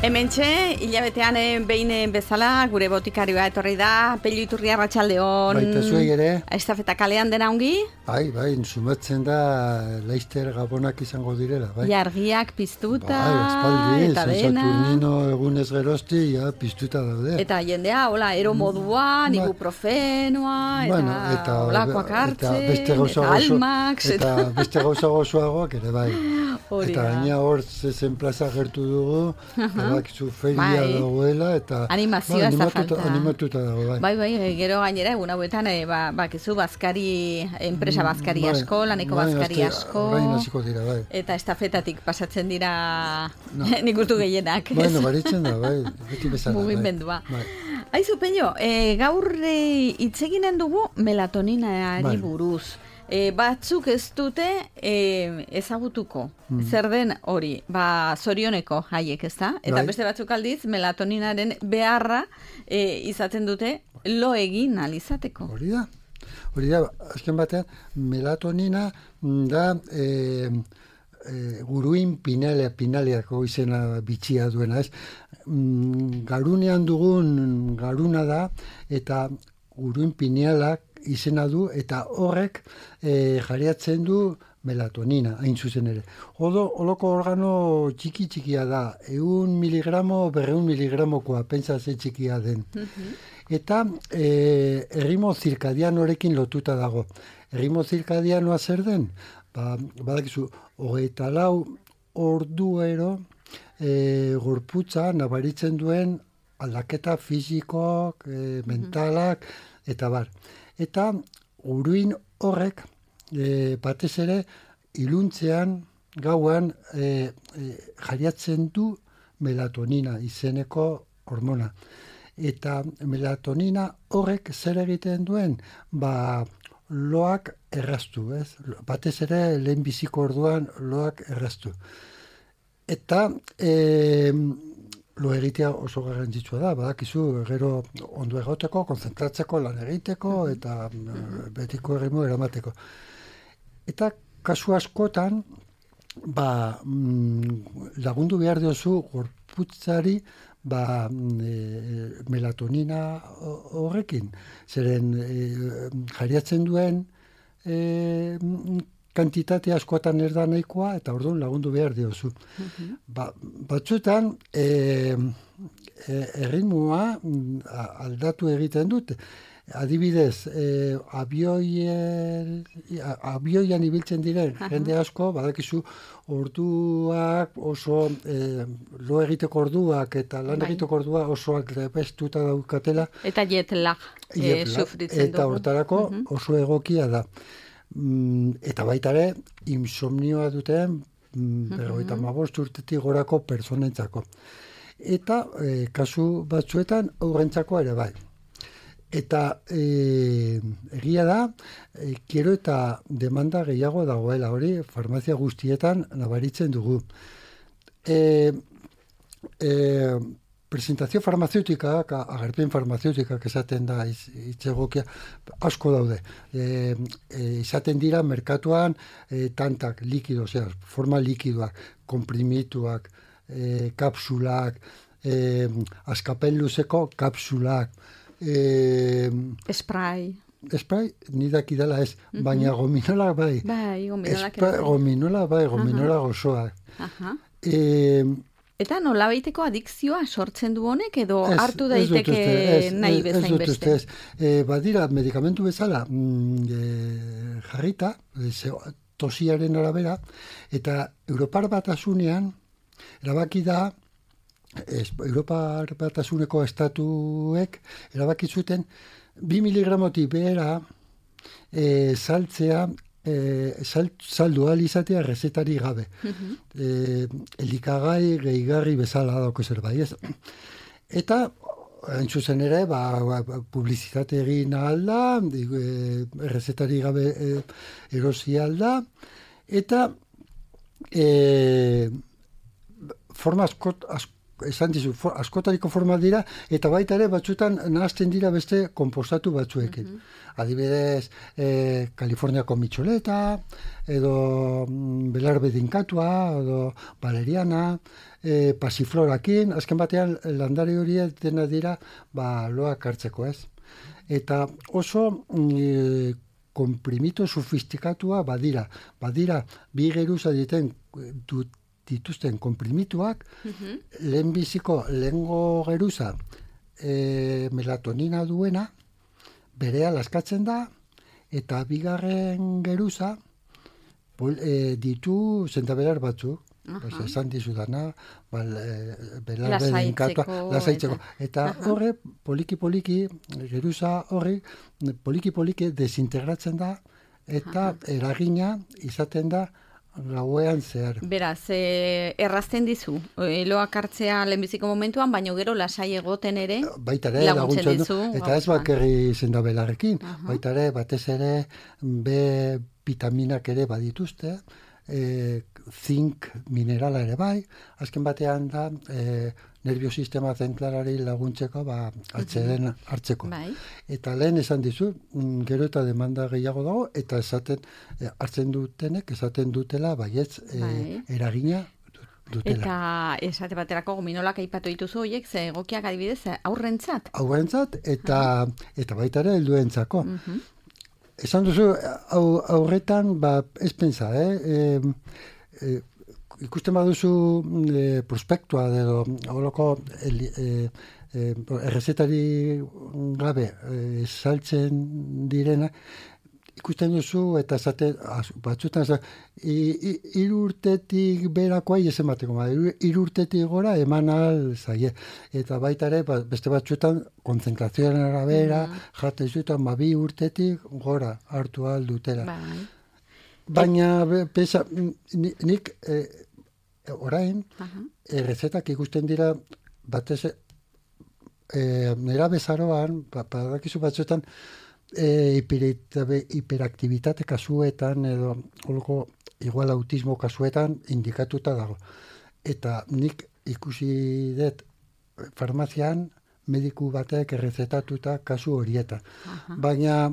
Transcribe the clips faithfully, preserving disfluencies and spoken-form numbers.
Hementxe, hilabetean behin bezala, gure botikarioa etorri da, Pello Iturria Arratsaldeon. Baita zuei ere. Estafeta kalean dena ongi? Bai, bai, sumatzen da Leister Gabonak izango direla, bai. Jargiak piztuta, bai, espaldi, eta dena. Saturnino egunez gerozti, ja, piztuta daude. Eta jendea, hola, ero modua, Ba- ibuprofenoa, eta, Bueno, eta olakoak hartzen, eta beste gauza eta gozo- almax, eta beste gauza gozoagoak ere, bai. Hori Eta da. gaina hor zezen plaza gertu dugu, badakizu feria Bai. dagoela, eta Animazioa ba, ez da animatuta, falta. animatuta dago, bai. Bai, bai, gero gainera egun hauetan, e, ba, bakizu bazkari, enpresa bazkari Bai, asko, laneko bai, bazkari aste- asko. Orain hasiko dira, bai. Eta estafetatik pasatzen dira No. nik uste gehienak. Bueno, baritzen da, bai, beti bezala. bai. Mugimendua. Bai. Aizu, Pello, e, gaur e, hitz eginen dugu melatoninari Bai. buruz. E, batzuk ez dute e, ezagutuko. Zer den hori, ba, zorioneko haiek, ez da? Eta Bai. beste batzuk aldiz, melatoninaren beharra e, izaten dute lo egin alizateko. Hori da. Hori da, azken batean, melatonina da e, e, guruin pinalea, pinaleako izena bitxia duena, ez? Mm, Garunean dugun garuna da, eta guruin pinalak izena du, eta horrek e, jariatzen du melatonina, hain zuzen ere. Odo, oloko organo txiki txikia da, eun miligramo, berreun miligramokoa, pentsa ze txikia den. Eta e, erritmo zirkadianorekin lotuta dago. Erritmo zirkadianoa zer den? Ba, badakizu, hogeita lau orduero e, gorputza nabaritzen duen aldaketa fisikoak, e, mentalak, eta bar. Eta guruin horrek e, batez ere iluntzean, gauan e, e, jariatzen du melatonina izeneko hormona. Eta melatonina horrek zer egiten duen? Ba, loak erraztu, ez? Batez ere lehen biziko orduan loak erraztu. Eta e, lo egitea oso garrantzitsua da, badakizu gero ondo egoteko, konzentratzeko, lan egiteko eta mm, betiko erritmo eramateko. Eta kasu askotan, ba, mm, lagundu behar diozu gorputzari ba, e, melatonina horrekin. Zeren e, jariatzen duen e, kantitate askotan ez da nahikoa, eta orduan lagundu behar diozu. Ba, batzuetan, e, e, erritmoa aldatu egiten dut. Adibidez, e, abioien, abioian ibiltzen diren jende asko, badakizu orduak oso, e, lo egiteko orduak eta lan Bai. egiteko orduak osoak lepestuta daukatela. Eta jet lag e, Jet lag, sufritzen eta dugu. hortarako Mhm. oso egokia da. Mm, eta baita ere, insomnioa duten mm, berrogeita hamabost urtetik gorako pertsonentzako. Eta e, kasu batzuetan aurrentzako ere bai. Eta e, egia da, e, gero eta demanda gehiago dagoela hori, farmazia guztietan nabaritzen dugu. E, e, presentazio farmazeutika, agerpen farmazeutika esaten da hitz egokia, asko daude. E, e, izaten dira merkatuan e, tantak, likido, osea, forma likidoak, komprimituak, e, kapsulak, e, askapen luzeko kapsulak, e, Spray. spray, nidak idala ez, baina gominola bai. Bai, gominolak ere Spray, bai. gominola bai, gominola gozoak. Aha. E, Eta nolabaiteko adikzioa sortzen du honek edo Ez, hartu ez dut daiteke uste, ez, nahi ez- ez bezain dut beste? uste, ez. E, badira, medikamentu bezala mm, e, jarrita, e, ze- tosiaren arabera, eta Europar Batasunean erabaki da, es, Europar Batasuneko estatuek erabaki zuten bi miligramotik behera e, saltzea e, sal, saldu ahal izatea rezetari gabe. e, elikagai gehigarri bezala dauko zerbait, ez? Eta hain zuzen ere, ba, ba, publizitate egin ahal da, e, errezetari gabe e, erosi ahal da, eta e, forma asko, asko esan dizu, for, askotariko forma dira, eta baita ere batzutan nahazten dira beste konpostatu batzuekin. Mm-hmm. Adibidez, eh, Kaliforniako mitxoleta, edo mm, belarbe dinkatua, edo valeriana, eh, pasiflorakin, azken batean landare horiek dena dira ba, loak hartzeko, ez? Eta oso mm, komprimito sofistikatua badira. Badira, bi geruza diten dut dituzten komprimituak, uh-huh. lehenbiziko lehengo geruza e, melatonina duena, berea laskatzen da, eta bigarren geruza pol, e, ditu zendabelar batzuk, uh-huh. pues, esan dizudana, bal, e, belarbe dinkatua, lasaitzeko. Eta uh-huh. horre, poliki-poliki, geruza horri, poliki-poliki desintegratzen da, eta uh-huh. eragina izaten da gauean zehar. Beraz, eh, errazten dizu, loak hartzea lehenbiziko momentuan, baina gero lasai egoten ere baita ere, laguntzen dizu. Eta ez bakarri zendabelarrekin, uh-huh. baita ere, batez ere, B vitaminak ere badituzte, e, zink minerala ere bai, azken batean da, e, nerviosistema zentralari laguntzeko, ba, atzeden hartzeko. Bai. Eta lehen esan dizu, gero eta demanda gehiago dago, eta esaten, hartzen dutenek, esaten dutela, baietz, bai. e, eragina dutela. Eta esate baterako gominolak aipatu dituzu horiek, ze egokiak adibidez, aurrentzat? Aurrentzat, eta, uh-huh. eta baita ere helduentzako. Uh-huh. Esan duzu, aurretan, ba, ez pensa, eh? E, e, ikusten baduzu e, prospektua edo holoko e, e, errezetari gabe e, saltzen direna, ikusten duzu eta zate, batzutan hiru urtetik berakoa ez emateko, hiru urtetik gora eman ahal zaie. Eta baita ere, beste batzutan konzentrazioaren arabera, mm. jaten zuetan, ba, bi urtetik gora hartu ahal dutela. Bai. Baina, pesa, nik... E, orain, uh-huh. errezetak ikusten dira batez e, nera bezaroan, badakizu batzuetan e, hiperaktibitate kasuetan edo holko igual autismo kasuetan indikatuta dago. Eta nik ikusi dut farmazian mediku batek errezetatuta kasu horietan. Uh-huh. Baina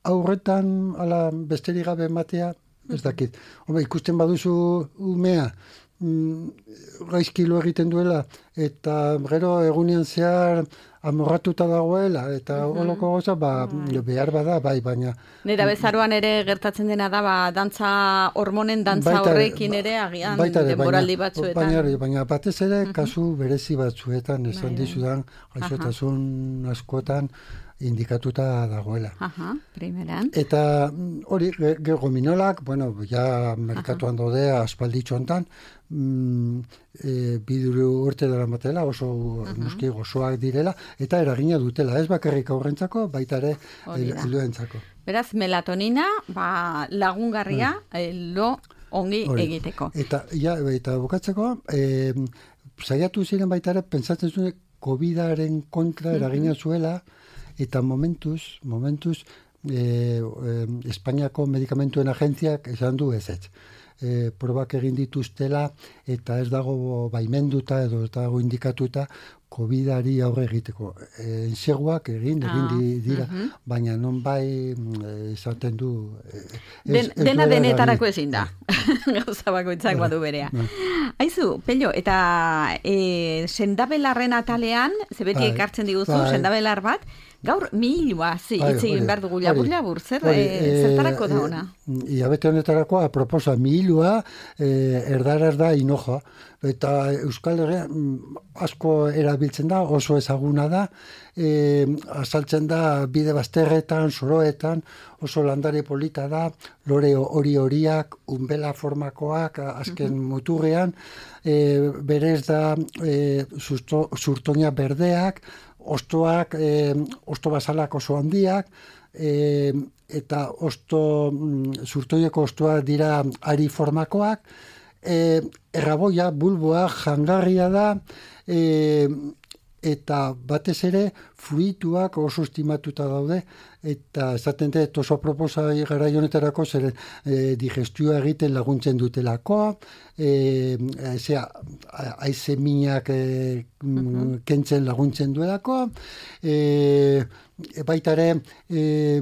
aurretan ala besterik gabe ematea, ez dakit. Hombre, ikusten baduzu umea, gaizkilo egiten duela, eta gero egunean zehar amorratuta dagoela, eta uh-huh. holoko goza, ba, uh-huh. behar bada, bai, baina... Nera bezaroan ere gertatzen dena da, ba, dantza, hormonen dantza baita, horrekin ere, agian, denboraldi batzuetan. Baina, baina batez ere, uh-huh. kasu berezi batzuetan, esan bai, dizudan, gaixotasun uh-huh. askotan, indikatuta dagoela. Aha, primeran. Eta hori, gominolak, bueno, ja merkatuan daude aspalditxo hontan, mm, e, biduru urte dara matela, oso nuski gozoak direla, eta eragina dutela, ez bakarrik aurrentzako, baita ere helduentzako. Beraz, melatonina, ba, lagungarria, lo ongi hori. Egiteko. Eta, ja, eta bukatzeko, e, saiatu ziren baita ere, pentsatzen zuen, COVIDaren kontra eragina zuela, eta momentuz, momentuz, e, e, Espainiako medikamentuen agentziak esan du ez ez. E, probak egin dituztela eta ez dago baimenduta edo ez dago indikatuta COVIDari aurre egiteko. E, enseguak egin, egin di, dira, uh-huh. baina non bai esaten du... Ez, Den, ez dena denetarako ezin da. Gauza bakoitzak badu berea. Aizu, Pello, eta e, sendabelarren atalean, zebeti ekartzen diguzu, bai. Sendabelar bat, gaur milua, zi, itzegin behar dugu labur-labur, zer, e, zertarako da ona? Iabete honetarako, aproposa, milua, e, erdaraz da inoja, eta Euskal Herria asko erabiltzen da, oso ezaguna da, e, azaltzen da bide bazterretan, soroetan, oso landare polita da, lore hori horiak, unbela formakoak, azken uh-huh. muturrean, e, berez da e, zurtoina berdeak, ostoak, e, osto basalak oso handiak, e, eta osto, zurtoieko ostoak dira ari formakoak, e, erraboia, bulboa, jangarria da, e, eta batez ere fruituak oso estimatuta daude, eta esaten dut oso proposai gara honetarako zer e, digestioa egiten laguntzen dutelakoa, e, zera, aize minak e, uh-huh. kentzen laguntzen duelakoa, e, baita ere e,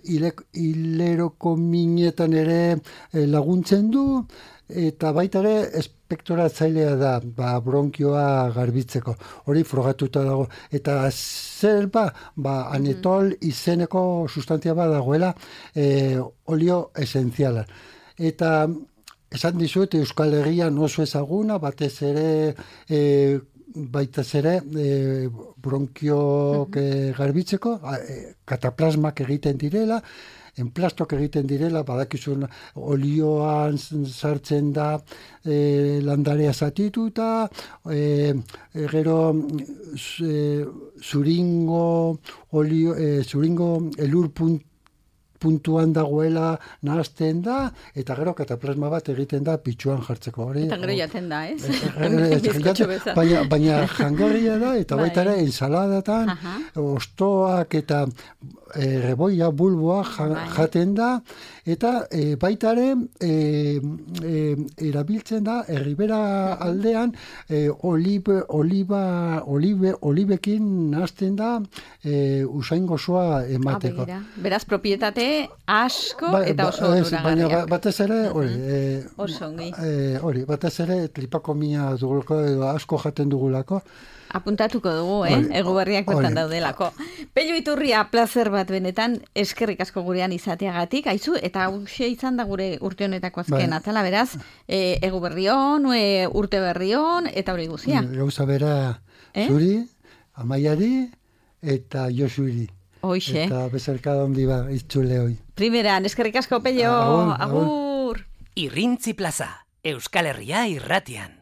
hileroko minetan ere e, laguntzen du, eta baita ere espektoratzailea da, ba, bronkioa garbitzeko. Hori frogatuta dago. Eta zer ba, ba anetol izeneko sustantzia bat dagoela e, olio esenziala. Eta esan dizut Euskal Herrian oso ezaguna, batez ere e, baita ere e, bronkioak uh-huh. garbitzeko, e, kataplasmak egiten direla, enplastok egiten direla, badakizun olioan sartzen da e, landarea zatituta, e, e, gero e, zuringo, olio, e, zuringo elur punt, puntuan dagoela nahazten da, eta gero kataplasma bat egiten da pitxuan jartzeko. Hori, eta gero jaten da, ez? baina, baina jangarria da, eta baita ere ensaladatan, ostoak eta e, reboia, bulboa jaten da, eta e, baita ere e, e, erabiltzen da, erribera aldean, e, olibe, oliba, olibe, olibekin nahazten da e, usain gozoa emateko. Ah, beraz, propietate asko ba, eta oso onuragarriak. Baina batez ere, hori, uh-huh. oso ongi. Hori, batez ere, tripakomia dugulako, edo asko jaten dugulako. Apuntatuko dugu, eh? Ego berriak bertan daudelako. Pello Iturria, plazer bat benetan, eskerrik asko gurean izateagatik, aizu, eta hauxe izan da gure urte honetako azken bai. Atala, beraz, e, ego berrion, e, urte berrion, eta hori guzia. Gauza bera, eh? Zuri, Amaiari, eta Josuri. Hoxe. Eta bezarkada hondi ba, itzule hoi. Primeran, eskerrik asko, Pello, agur. Irrintzi plaza, Euskal Herria irratian.